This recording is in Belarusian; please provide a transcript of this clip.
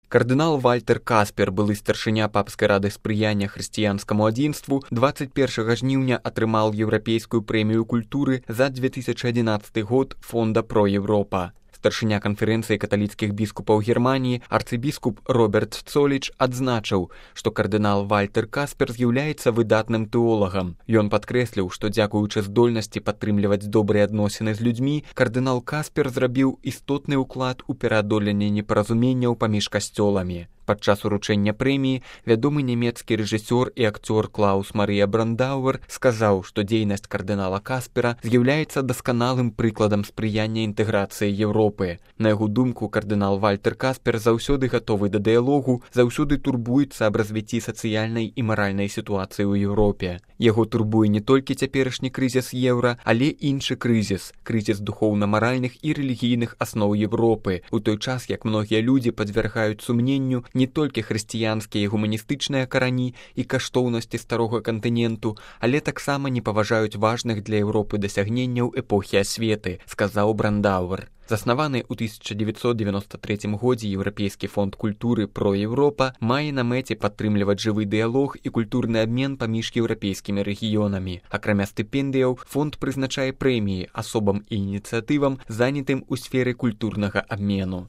Кардынал Вальтер Каспер, былы старшыня папскай рады спрыяння хрысціянскаму адзінству, 21 жніўня атрымаў еўрапейскую прэмію культуры за 2011 год фонда «Про Европа». Старшыня канферэнцыі каталіцкіх біскупаў Германіі арцыбіскуп Роберт Цоліч адзначыў, што кардынал Вальтер Каспер з'яўляецца выдатным тэолагам. Ён падкрэсліў, што дзякуючы здольнасці падтрымліваць добрыя адносіны з людзьмі, кардынал Каспер зрабіў істотны ўклад у пераадоленне непаразуменняў паміж касцёламі. Падчас уручэння прэміі вядомы нямецкі рэжысёр і акцёр Клаус Марыя Брандауэр сказаў, што дзейнасць кардынала Каспера з'яўляецца дасканалым прыкладам спрыяння інтэграцыі Еўропы. На яго думку, кардынал Вальтер Каспер заўсёды гатовы да дыялогу, заўсёды турбуецца аб развіцці сацыяльнай і маральнай сітуацыі ў Еўропе. Яго турбуе не толькі цяперашні крызіс еўра, але іншы крызіс духоўна-маральных і рэлігійных асноў Еўропы, у той час як многія людзі падвяргаюць сумненню не толькі хрысціянскія і гуманістычныя карані і каштоўнасці старога кантыненту, але таксама не паважаюць важных для Еўропы дасягненняў эпохі асветы, сказаў Брандауэр. Заснаваны ў 1993 годзе Еўрапейскі фонд культуры «Про Европа» мае на мэце падтрымліваць жывы дыялог і культурны абмен паміж еўрапейскімі рэгіёнамі. Акрамя стыпендыяў, фонд прызначае прэміі асобам і ініцыятывам, занятым у сферы культурнага абмену.